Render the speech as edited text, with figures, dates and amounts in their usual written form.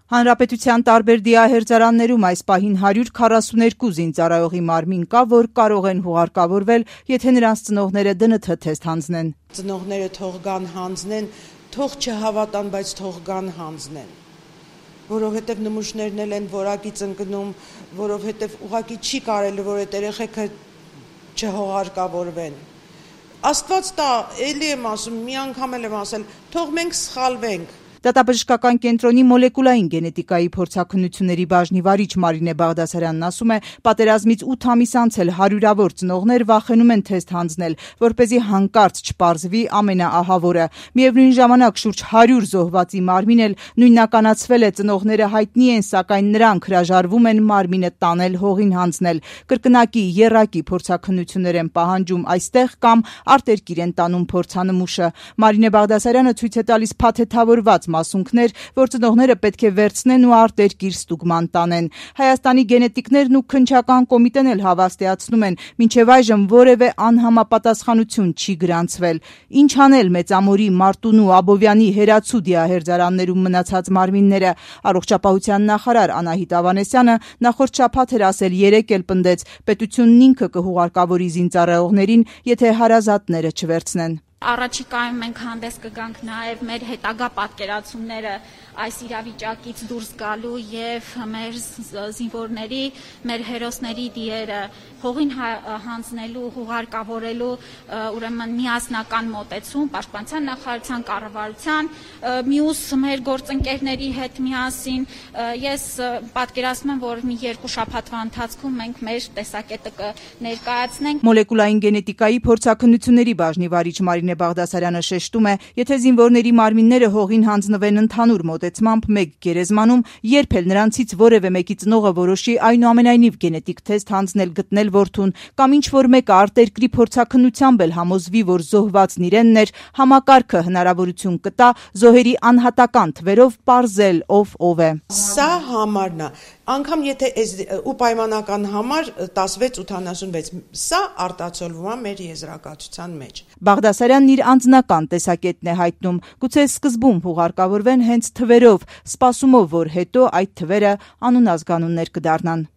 Հանրապետության տարբեր դիահերձարաններում այս պահին 142 զինծառայողի մարմին կա, որ կարող են հուղարկավորվել, եթե նրանց ծնողները ԴՆԹ թեստ հանձնեն։ Ծնողները թող գան հանձնեն, թող չհավատան, բայց թող գան հանձնեն, որովհետև նմուշներն էլ են որակից ընկնում, որովհետև ուղղակի չի կարելի, որ այդ երեխեքը չհողարկավորվեն։ Աստված տա, էլի եմ ասում, մի անգամ էլ եմ ասել, թող մենք սխալվենք։ Դատաբժշկական կենտրոնի մոլեկուլային գենետիկայի փորձաքննությունների բաժնի վարիչ Մարինե Բաղդասարյանն ասում է, պատերազմից 8 ամիս անց էլ հարյուրավոր ծնողներ վախենում են թեստ հանձնել, որպեսզի հանկարծ չպարզվի ամենաահավորը։ Միևնույն ժամանակ շուրջ 100 զոհվածի մարմին էլ նույնականացվել է, ծնողները հայտնի են, սակայն նրանք հրաժարվում են մարմինը տանել, հողին հանձնել։ Կրկնակի, եռակի փորձաքննություններ են պահանջում այստեղ կամ արտերկիր են տանում փորձանմուշը։ Մարինե Բաղդասարյանը ցույց է տալիս փաթեթավորված մասունքներ, որ ծնողները պետք է վերցնեն ու արտերկիր ստուգման տանեն։ Հայաստանի գենետիկներն ու քննչական կոմիտեն էլ հավաստիացնում են, մինչև այժմ որևէ անհամապատասխանություն չի գրանցվել։ Ինչ անել Մեծամորի, Մարտունու, Աբովյանի, Հերացու դիահերձարաններում մնացած մարմինները։ Առողջապահության նախարար Անահիտ Ավանեսյանը նախորդ շաբաթ էր ասել, երեկ էլ պնդեց, պետությունն ինքը կհուղարկավորի զինծառայողներին, եթե հարազատները չվերցնեն։ Առաջիկայում մենք հանդես կգանք նաև մեր հետագա պատկերացումները այս իրավիճակից դուրս գալու եւ մեր զինվորների, մեր հերոսների դիերը հողին հանձնելու, հուղարկավորելու ուրեմն միասնական մոտեցում պաշտպանության նախարարության, կառավարության, մյուս մեր գործընկերների հետ միասին։ Ես պատկերացնում եմ, որ մի 2 շաբաթվա ընթացքում մենք մեր տեսակետը կներկայացնենք։ Մոլեկուլային գենետիկայի փորձաքննությունների բաժնի վարիչ Մարինե Բաղդասարյանը շեշտում է, եթե զինվորների մարմինները հողին հանձնվեն ընդհանուր մոտեցմամբ մեկ գերեզմանում, երբ էլ նրանցից որևէ մեկի ծնողը որոշի այնուամենայնիվ գենետիկ թեստ հանձնել գտնել որդուն, կամ ինչ-որ մեկը արտերկրի փորձաքննությամբ էլ համոզվի, որ զոհվածն իրենն էր, համակարգը հնարավորություն կտա զոհերի անհատական թվերով պարզել ով է։ Սա համարն է, անգամ եթե ու պայմանական համար 1686, սա արտացոլվում է մեր եզրակացության մեջ։ Բաղդասարյանն իր անձնական տեսակետն է հայտնում, գուցե սկզբում հուղարկավորվեն հենց թվերով, սպասումով, որ հետո այդ թվերը անուն ազգանուններ կդառնան։